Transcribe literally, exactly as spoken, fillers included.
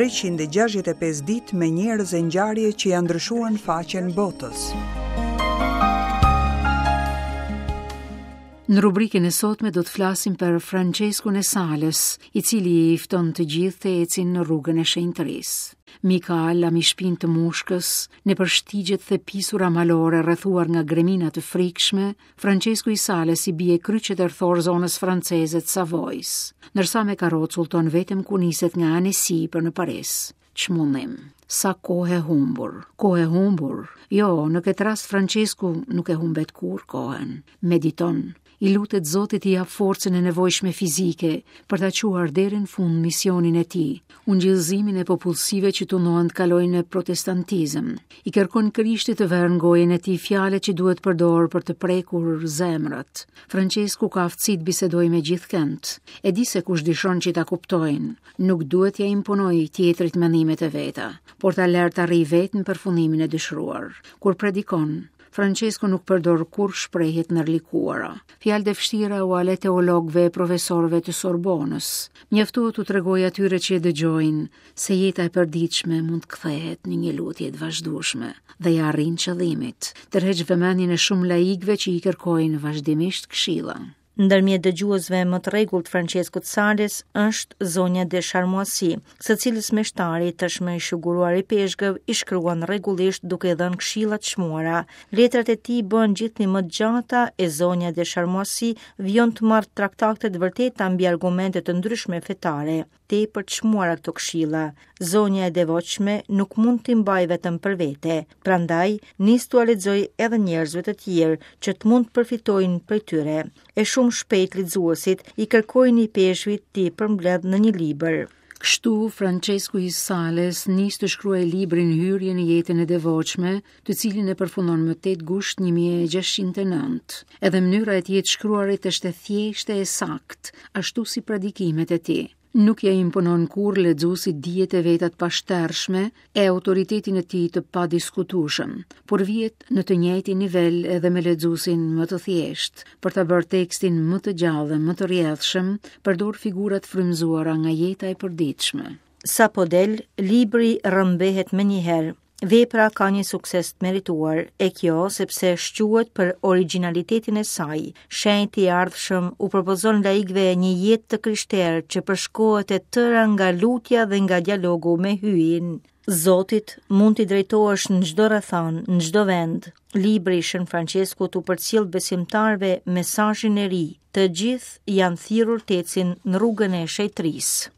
treqind e gjashtëdhjetë e pesë ditë me njerëz e ngjarje që janë ndryshuar në faqen botës. Në rubrikën e sotme do të flasim për Franceskun e Sales, i cili i fton të gjithë të ecin në rrugën e shenjtërisë. Mikael, mi shpinë të mushkës, në përshtigjet dhe pisura malore rrethuar nga gremina të frikshme, Francesku i Sales i bie kryqet erthor zonës franceze të Savojs, ndërsa me karrocë udhton vetëm ku niset nga Annecy për në Paris. Çmundim. Sa kohë e humbur, kohë e humbur. Jo, në këtë rast Francesku nuk e humbet kurrë kohën. Mediton, i lutet Zotit i jap forcën e nevojshme fizike për ta çuar deri në fund misionin e tij, ungjillëzimin e popullsive që tundohen të kalojnë në protestantizëm. I kërkon Krishtit të vërë në gojën e tij fjalët që duhet përdorur për të prekur zemrat. Francesku ka aftësi të bisedojë me gjithkënd. E di se kush dëshiron që ta kuptojnë, nuk duhet t'ia imponojë tjetrit mendimet e veta, por ta lërë të arrijë vetë në përfundimin e dëshiruar. Kur predikon, Francesku nuk përdor kurrë shprehje të ndërlikuara. Fjalët e vështira u ale teologëve e profesorëve të Sorbonës. Mjaftohet t'u tregoj atyre që e dëgjojnë se jeta e përditshme mund të kthehet në një lutje të vazhdueshme dhe ja arrin qëllimit. Tërheq vëmendjen e shumë laikëve që i kërkojnë vazhdimisht këshilla. Ndërmjet dëgjuesve më të rregullt Franceskut Sales është zonja de Charmoisi, së cilës meshtari tashmë i shuguruar i peshgëv i shkruan rregullisht duke dhënë këshilla të çmuara. Letrat e tij bëhen gjithnjë më të gjata e zonja de Charmoisi vijon të marrë traktate të vërteta mbi argumente të ndryshme fetare. Tepër të çmuara këto këshilla. Zonja e devotshme nuk mund t'i mbajë vetëm për vete, prandaj nis t'ua lexoj edhe njerëzve të tjerë që të mund të përfitojnë prej tyre. E shumë shpejt lexuesit i kërkojnë i peshvit t'i përmbledh në një libër. Kështu, Francesku i Sales nis të shkruajë librin Hyrje në jetën e devotshme, të cilin e përfundon më tetë gusht një mijë e gjashtëqind e nëntë. Edhe mënyra e tij të shkruarit është e thjeshtë e saktë, ashtu si predikimet e tij. Nuk ja imponon kurrë lexuesit dijet e veta të pashtershme e autoritetin e tij të padiskutueshëm, por vihet në të njëjtin nivel edhe me lexuesin më të thjeshtë. Për ta bërë tekstin më të gjallë dhe më të rrjedhshëm, përdor figura të frymëzuara nga jeta e përditshme. Sapo del, libri rrëmbehet menjëherë. Vepra ka një sukses të merituar, e kjo sepse shquhet për origjinalitetin e saj. Shenjti i ardhshëm u propozon laikëve një jetë të krishterë që përshkohet e tëra nga lutja dhe nga dialogu me Hyjin. Zotit mund t'i drejtohesh në çdo rrethan, në çdo vend. Libri i Shën Franceskut u përcjell besimtarëve mesazhin e ri. Të gjithë janë thirrur të ecin në rrugën e shenjtërisë.